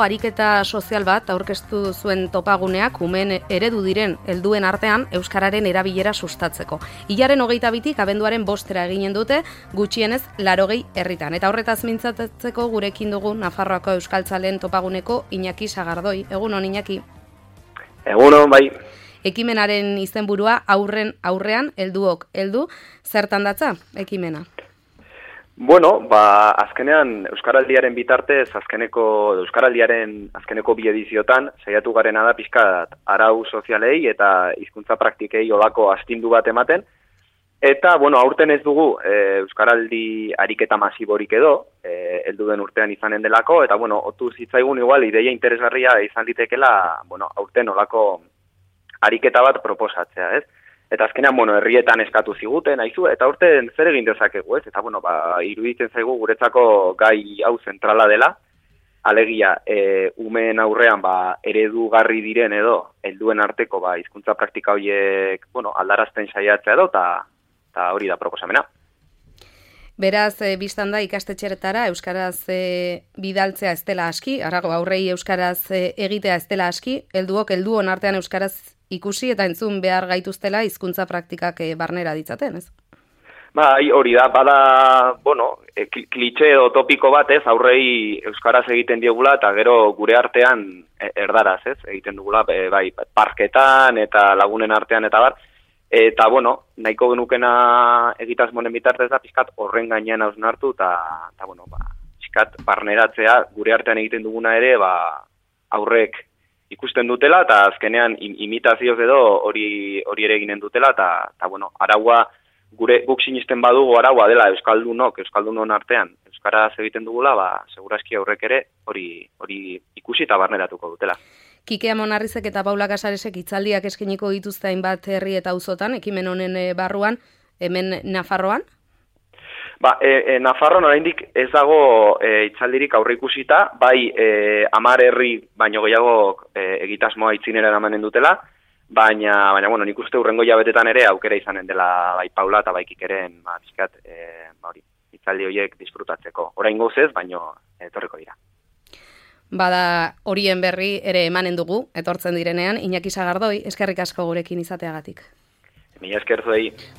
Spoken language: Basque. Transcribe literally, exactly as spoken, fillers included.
Ariketa sozial bat aurkeztu zuen topaguneak umeen eredu diren helduen artean euskararen erabilera sustatzeko. Hilaren hogeita bitik abenduaren bostera eginen dute gutxienez larogei herritan. Eta horretaz mintzatzeko gurekin dugu Nafarroako euskaltzaleen topaguneko Iñaki Sagardoi. Egunon, Iñaki. Egunon, bai. Ekimenaren izenburua aurren aurrean helduok heldu. Zertan datza ekimena? Bueno, ba, azkenean Euskaraldiaren bitartez, azkeneko Euskaraldiaren azkeneko bi ediziotan saiatu garena da pixkat arau sozialei eta hizkuntza praktikei olako astindu bat ematen. Eta, bueno, aurten ez dugu e, Euskaraldi ariketa masiborik edo, e, heldu den urtean izanen delako, eta, bueno, otu zitzaigun igual ideia interesgarria izan litekela, bueno, aurten olako ariketa bat proposatzea, ez? Eta azkenean, bueno, herrietan eskatu ziguten, aizu, eta urten zer egin dezakegu, ez? Eta, bueno, ba, iruditzen zaigu guretzako gai hau zentrala dela, alegia, e, umeen aurrean, ba, eredugarri diren edo, helduen arteko, ba, hizkuntza praktika horiek, bueno, aldarazten saiatzea edo, eta hori da proposamena. Beraz, e, biztan da ikastetxeretara euskaraz e, bidaltzea ez dela aski, arago aurrei euskaraz e, egitea ez dela aski, helduok helduon artean euskaraz ikusi eta entzun behar gaituztela hizkuntza praktikak e, barnera ditzaten, ez? Bai, hori da, bada, bueno, e, klitxe edo topiko bat, ez, aurrei euskaraz egiten diegula eta gero gure artean e, erdaraz, ez, egiten dugula, e, bai, parketan eta lagunen artean eta bar. Eta, bueno, nahiko genukena egitasmonen bitartez da, pixkat horren gainean hausnartu, eta, eta bueno, ba, pixkat barneratzea gure artean egiten duguna ere, ba, aurrek ikusten dutela, eta azkenean imitazioz edo hori hori ere eginen dutela, eta, eta bueno, araua, gure guk sinisten badugu araua dela euskaldunok, euskaldunon artean, euskaraz egiten dugula, ba, segurazki aurrek ere hori hori ikusi eta barneratuko dutela. Kike Amonarrizek eta Paula Casaresek hitzaldiak eskainiko dituzte hainbat herri eta auzotan, ekimen honen barruan, hemen Nafarroan? Ba, e, e, Nafarroan oraindik ez dago e, hitzaldirik aurre ikusita, bai e, hamar herri baino gehiago e, egitasmoa itzinera eramanen dutela, baina, baina bueno, nik uste hurrengo jabetetan ere aukera izanen dela bai Paula eta bai Kikeren, ba, pixkat, e, ba, hori, hitzaldi horiek disfrutatzeko. Oraingoz ez, baino etorriko dira. Bada horien berri ere emanen dugu, etortzen direnean, Iñaki Sagardoi, eskerrik asko gurekin izateagatik. Mila esker zuei.